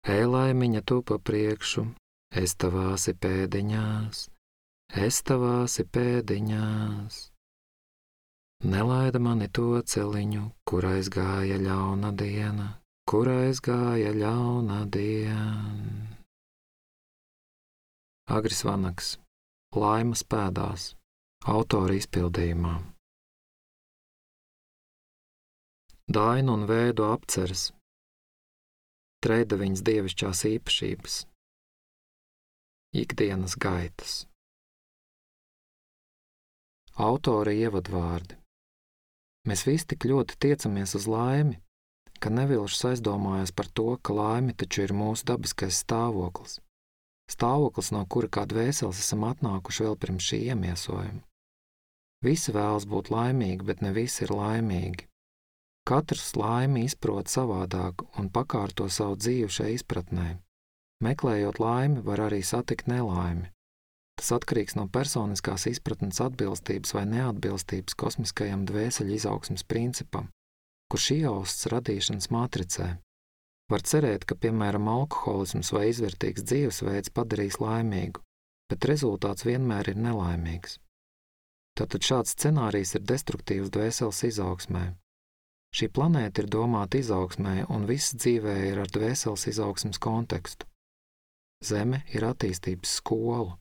Ej, laimiņa, tu pa priekšu, es tavās pēdiņās, es tavās pēdiņās. Nelaida mani to celiņu, kur aizgāja ļauna diena, kur aizgāja ļauna diena. Agris Vanaks, Laimas pēdās, autora izpildījumā. Dainu un Vēdu apceres, Treidaviņas dievišķās īpašības, ikdienas gaitas. Autora ievadvārdi. Mēs visi tik ļoti tiecamies uz laimi, ka nevilšas aizdomājas par to, ka laime taču ir mūsu dabiskais stāvoklis. Stāvoklis, no kura kā dvēseles esam atnākuši vēl pirms šī iemiesojuma. Visi vēlas būt laimīgi, bet ne visi ir laimīgi. Katrs laimi izprot savādāk un pakārto savu dzīvi šai izpratnē. Meklējot laimi, var arī satikt nelaimi. Tas atkarīgs no personiskās izpratnes atbilstības vai neatbilstības kosmiskajam dvēseļu izaugsmes principam, kurš iejausts radīšanas matricē. Var cerēt, ka, piemēram, alkoholisms vai izvērtīgs dzīvesveids padarīs laimīgu, bet rezultāts vienmēr ir nelaimīgs. Tātad šāds scenārijs ir destruktīvs dvēseles izaugsmē. Šī planēta ir domāta izaugsmē, un viss dzīvē ir ar dvēseles izaugsmes kontekstu. Zeme ir attīstības skola.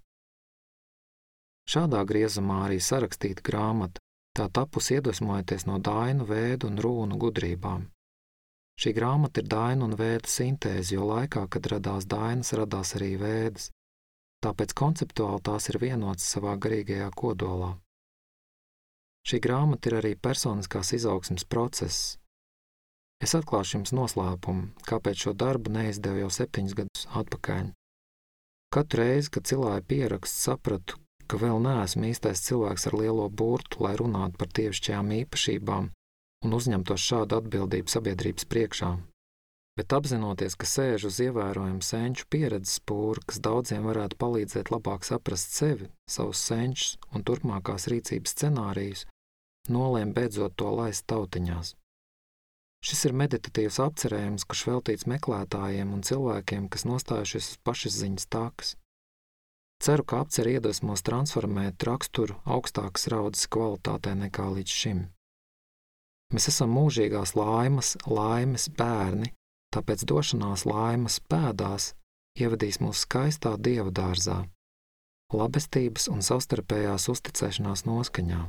Šādā griezumā arī sarakstīta grāmata, tā tapusi iedvesmojoties no Dainu, Vēdu un Rūnu gudrībām. Šī grāmata ir Dainu un Vēdu sintēze, jo laikā, kad radās Dainas, radās arī Vēdas. Tāpēc konceptuāli tās ir vienotas savā garīgajā kodolā. Šī grāmata ir arī personiskās izaugsmes process. Es atklāšu jums noslēpumu, kāpēc šo darbu neizdevu jau 7 gadus atpakaļ. Katru reizi, kad cilāju pierakstu, sapratu, ka vēl neesmu īstais cilvēks ar lielo burtu, lai runātu par dievišķajām īpašībām un uzņemtos šādu atbildību sabiedrības priekšā. Bet apzinoties, ka sēžu uz ievērojumu senču pieredzes pūru, kas daudziem varētu palīdzēt labāk saprast sevi, savus senčus un turpmākās rīcības scenārijus, nolēmu beidzot to laist tautiņās. Šis ir meditatīvs apcerējums, kurš veltīts meklētājiem un cilvēkiem, kas nostājušies uz pašizziņas takas. Ceru, ka apceri iedvesmos transformēt raksturu augstākas raudzes kvalitātē nekā līdz šim. Mēs esam mūžīgās laimes bērni, tāpēc došanās laimes pēdās ievadīs mūs skaistā dieva dārzā, labestības un savstarpējās uzticēšanās noskaņā.